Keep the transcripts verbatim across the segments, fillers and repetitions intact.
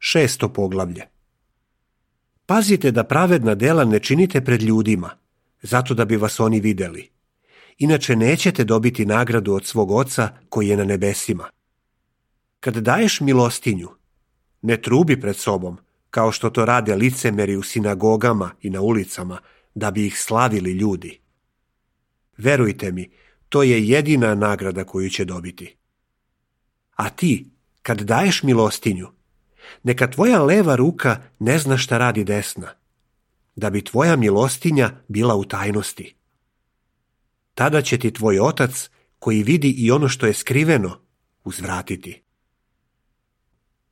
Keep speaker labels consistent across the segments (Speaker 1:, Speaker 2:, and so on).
Speaker 1: Šesto poglavlje. Pazite da pravedna dela ne činite pred ljudima, zato da bi vas oni vidjeli. Inače nećete dobiti nagradu od svog Oca koji je na nebesima. Kad daješ milostinju, ne trubi pred sobom, kao što to rade licemeri u sinagogama i na ulicama, da bi ih slavili ljudi. Verujte mi, to je jedina nagrada koju će dobiti. A ti, kad daješ milostinju, neka tvoja leva ruka ne zna šta radi desna, da bi tvoja milostinja bila u tajnosti. Tada će ti tvoj Otac, koji vidi i ono što je skriveno, uzvratiti.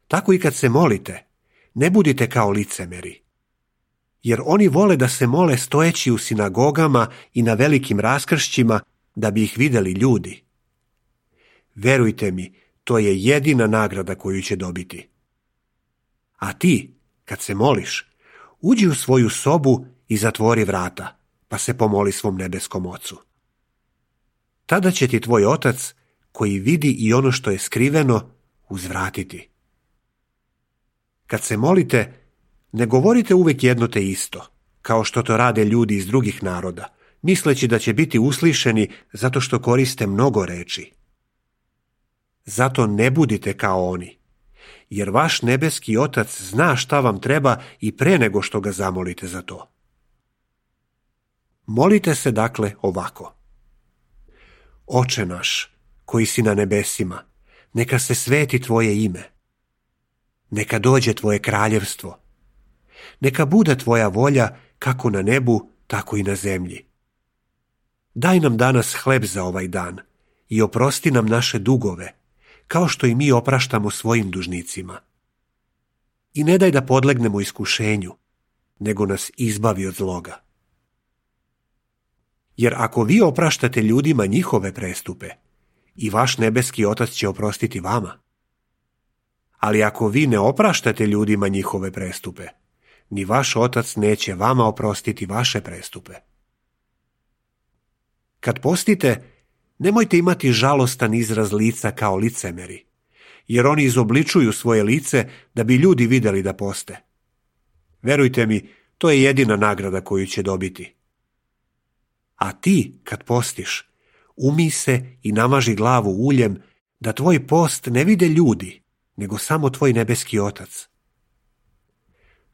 Speaker 1: Tako i kad se molite, ne budite kao licemeri, jer oni vole da se mole stojeći u sinagogama i na velikim raskršćima, da bi ih vidjeli ljudi. Verujte mi, to je jedina nagrada koju će dobiti. A ti, kad se moliš, uđi u svoju sobu i zatvori vrata, pa se pomoli svom nebeskom Ocu. Tada će ti tvoj Otac, koji vidi i ono što je skriveno, uzvratiti. Kad se molite, ne govorite uvijek jedno te isto, kao što to rade ljudi iz drugih naroda, misleći da će biti uslišeni zato što koriste mnogo reči. Zato ne budite kao oni, jer vaš nebeski Otac zna šta vam treba i pre nego što ga zamolite za to. Molite se dakle ovako. Oče naš, koji si na nebesima, neka se sveti tvoje ime. Neka dođe tvoje kraljevstvo. Neka bude tvoja volja kako na nebu, tako i na zemlji. Daj nam danas hleb za ovaj dan i oprosti nam naše dugove, kao što i mi opraštamo svojim dužnicima. I ne daj da podlegnemo iskušenju, nego nas izbavi od zloga. Jer ako vi opraštate ljudima njihove prestupe, i vaš nebeski Otac će oprostiti vama. Ali ako vi ne opraštate ljudima njihove prestupe, ni vaš Otac neće vama oprostiti vaše prestupe. Kad postite, nemojte imati žalostan izraz lica kao licemeri, jer oni izobličuju svoje lice da bi ljudi vidjeli da poste. Verujte mi, to je jedina nagrada koju će dobiti. A ti, kad postiš, umij se i namaži glavu uljem, da tvoj post ne vide ljudi, nego samo tvoj nebeski Otac.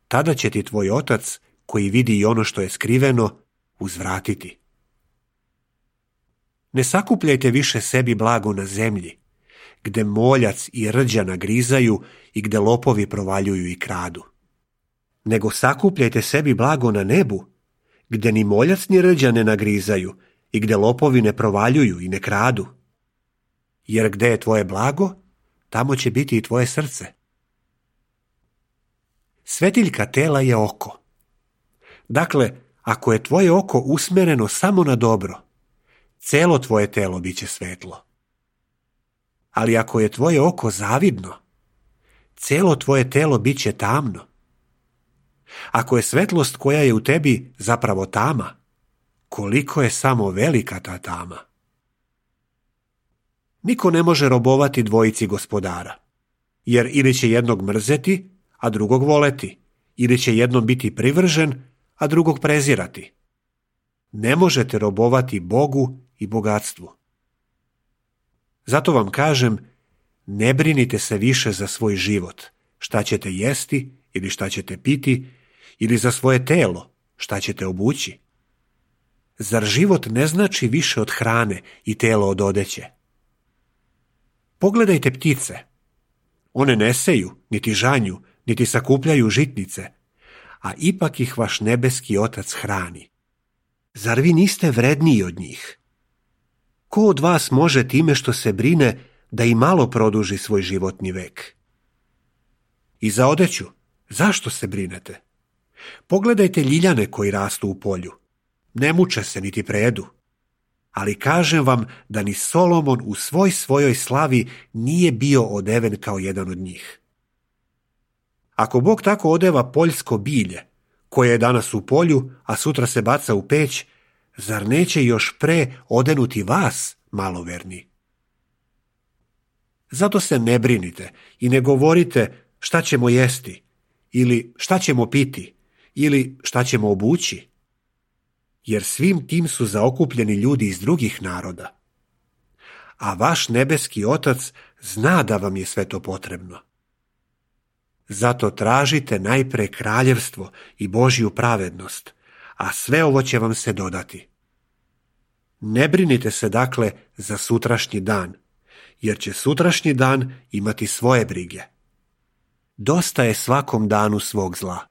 Speaker 1: Tada će ti tvoj Otac, koji vidi i ono što je skriveno, uzvratiti. Ne sakupljajte više sebi blago na zemlji, gde moljac i rđa nagrizaju i gde lopovi provaljuju i kradu. Nego sakupljajte sebi blago na nebu, gde ni moljac ni rđa ne nagrizaju i gde lopovi ne provaljuju i ne kradu. Jer gde je tvoje blago, tamo će biti i tvoje srce. Svetiljka tela je oko. Dakle, ako je tvoje oko usmjereno samo na dobro, celo tvoje telo bit će svetlo. Ali ako je tvoje oko zavidno, celo tvoje telo bit će tamno. Ako je svetlost koja je u tebi zapravo tama, koliko je samo velika ta tama. Niko ne može robovati dvojici gospodara, jer ili će jednog mrzeti, a drugog voleti, ili će jednom biti privržen, a drugog prezirati. Ne možete robovati Bogu i bogatstvu. Zato vam kažem, ne brinite se više za svoj život, šta ćete jesti ili šta ćete piti, ili za svoje telo, šta ćete obući. Zar život ne znači više od hrane i telo od odeće? Pogledajte ptice. One ne seju, niti žanju, niti sakupljaju žitnice, a ipak ih vaš nebeski Otac hrani. Zar vi niste vredniji od njih? Ko od vas može time što se brine da i malo produži svoj životni vek? I za odeću, zašto se brinete? Pogledajte ljiljane koji rastu u polju. Ne muče se niti predu. Ali kažem vam da ni Solomon u svoj svojoj slavi nije bio odeven kao jedan od njih. Ako Bog tako odeva poljsko bilje, koje je danas u polju, a sutra se baca u peć, zar neće još pre odenuti vas, maloverni? Zato se ne brinite i ne govorite šta ćemo jesti, ili šta ćemo piti, ili šta ćemo obući? Jer svim tim su zaokupljeni ljudi iz drugih naroda. A vaš nebeski Otac zna da vam je sve to potrebno. Zato tražite najpre kraljevstvo i Božju pravednost, a sve ovo će vam se dodati. Ne brinite se dakle za sutrašnji dan, jer će sutrašnji dan imati svoje brige. Dosta je svakom danu svog zla.